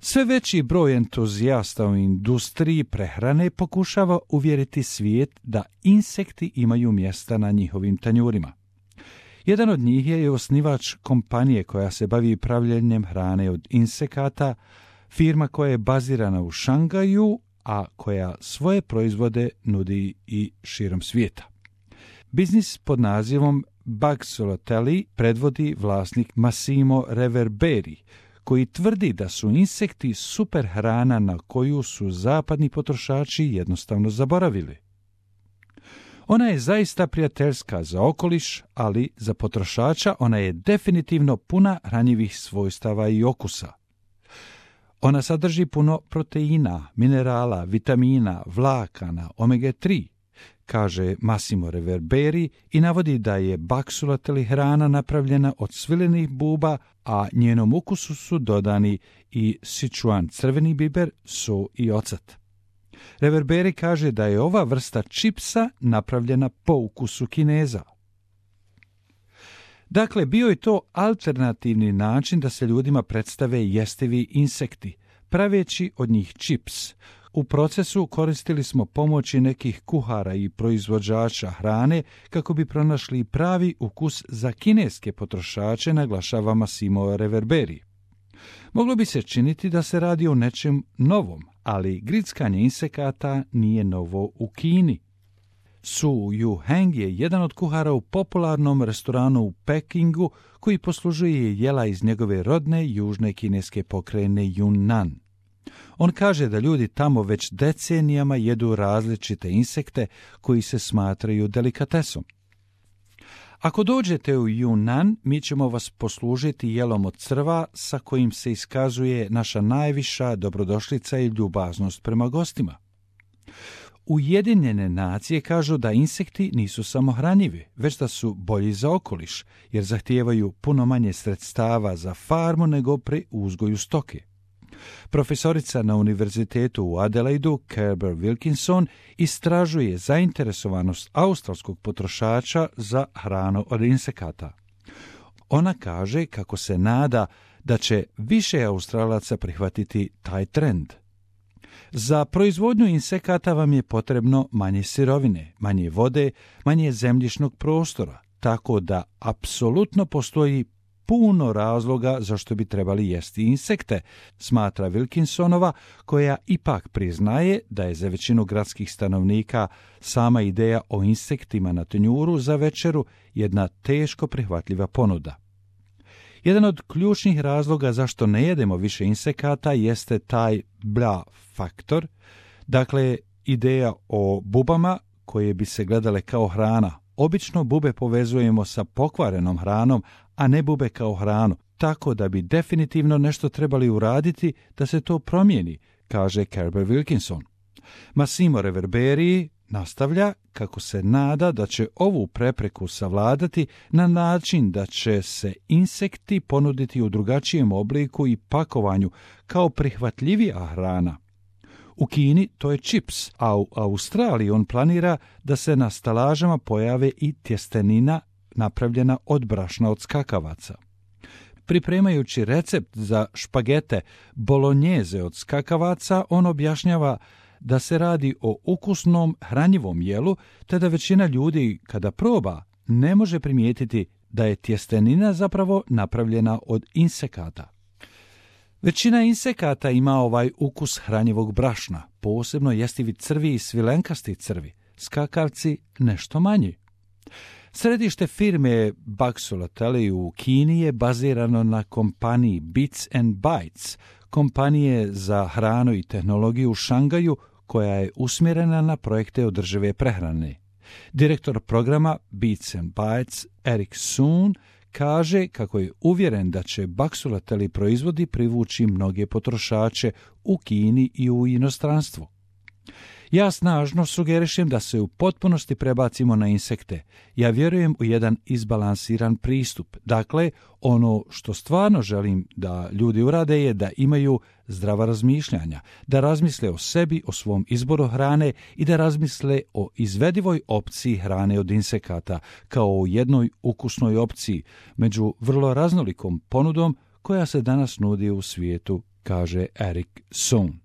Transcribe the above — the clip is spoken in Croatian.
Sve veći broj entuzijasta u industriji prehrane pokušava uvjeriti svijet da insekti imaju mjesta na njihovim tanjurima. Jedan od njih je osnivač kompanije koja se bavi pravljenjem hrane od insekata, firma koja je bazirana u Šangaju, a koja svoje proizvode nudi i širom svijeta. Biznis pod nazivom Baxolotli predvodi vlasnik Massimo Reverberi, koji tvrdi da su insekti super hrana na koju su zapadni potrošači jednostavno zaboravili. Ona je zaista prijateljska za okoliš, ali za potrošača ona je definitivno puna hranjivih svojstava i okusa. Ona sadrži puno proteina, minerala, vitamina, vlakana, omega-3, kaže Massimo Reverberi i navodi da je Baxolotli hrana napravljena od svilenih buba, a njenom ukusu su dodani i Sichuan crveni biber, so i ocat. Reverberi kaže da je ova vrsta čipsa napravljena po ukusu Kineza. Dakle, bio je to alternativni način da se ljudima predstave jestivi insekti, praveći od njih čips. U procesu koristili smo pomoći nekih kuhara i proizvođača hrane kako bi pronašli pravi ukus za kineske potrošače, naglašava Massimo Reverberi. Moglo bi se činiti da se radi o nečem novom, ali grickanje insekata nije novo u Kini. Su Yu Heng je jedan od kuhara u popularnom restoranu u Pekingu koji poslužuje jela iz njegove rodne južne kineske pokrajine Yunnan. On kaže da ljudi tamo već decenijama jedu različite insekte koji se smatraju delikatesom. Ako dođete u Yunnan, mi ćemo vas poslužiti jelom od crva sa kojim se iskazuje naša najviša dobrodošlica i ljubaznost prema gostima. Ujedinjene nacije kažu da insekti nisu samo hranjivi, već da su bolji za okoliš, jer zahtijevaju puno manje sredstava za farmu nego pri uzgoju stoke. Profesorica na univerzitetu u Adelaidu, Kerber Wilkinson, istražuje zainteresovanost australskog potrošača za hranu od insekata. Ona kaže kako se nada da će više Australaca prihvatiti taj trend. Za proizvodnju insekata vam je potrebno manje sirovine, manje vode, manje zemljišnog prostora, tako da apsolutno postoji puno razloga zašto bi trebali jesti insekte, smatra Wilkinsonova, koja ipak priznaje da je za većinu gradskih stanovnika sama ideja o insektima na tanjuru za večeru jedna teško prihvatljiva ponuda. Jedan od ključnih razloga zašto ne jedemo više insekata jeste taj bla faktor, dakle ideja o bubama koje bi se gledale kao hrana. Obično bube povezujemo sa pokvarenom hranom, a ne bube kao hranu, tako da bi definitivno nešto trebali uraditi da se to promijeni, kaže Kerber Wilkinson. Massimo Reverberi nastavlja kako se nada da će ovu prepreku savladati na način da će se insekti ponuditi u drugačijem obliku i pakovanju kao prihvatljivija hrana. U Kini to je čips, a u Australiji on planira da se na stalažama pojave i tjestenina napravljena od brašna od skakavaca. Pripremajući recept za špagete bolognjeze od skakavaca, on objašnjava da se radi o ukusnom hranjivom jelu, te da većina ljudi kada proba ne može primijetiti da je tjestenina zapravo napravljena od insekata. Većina insekata ima ovaj ukus hranjivog brašna, posebno jestivi crvi i svilenkasti crvi, skakavci nešto manji. Središte firme Baxolotli u Kini je bazirano na kompaniji Bits and Bytes, kompanije za hranu i tehnologiju u Šangaju, koja je usmjerena na projekte održive prehrane. Direktor programa Bits and Bytes, Eric Soon, kaže kako je uvjeren da će Baxolotli proizvodi privući mnoge potrošače u Kini i u inostranstvu. Ja snažno sugerišem da se u potpunosti prebacimo na insekte. Ja vjerujem u jedan izbalansiran pristup. Dakle, ono što stvarno želim da ljudi urade je da imaju zdrava razmišljanja, da razmisle o sebi, o svom izboru hrane i da razmisle o izvedivoj opciji hrane od insekata, kao o jednoj ukusnoj opciji među vrlo raznolikom ponudom koja se danas nudi u svijetu kaže Eric Sohn.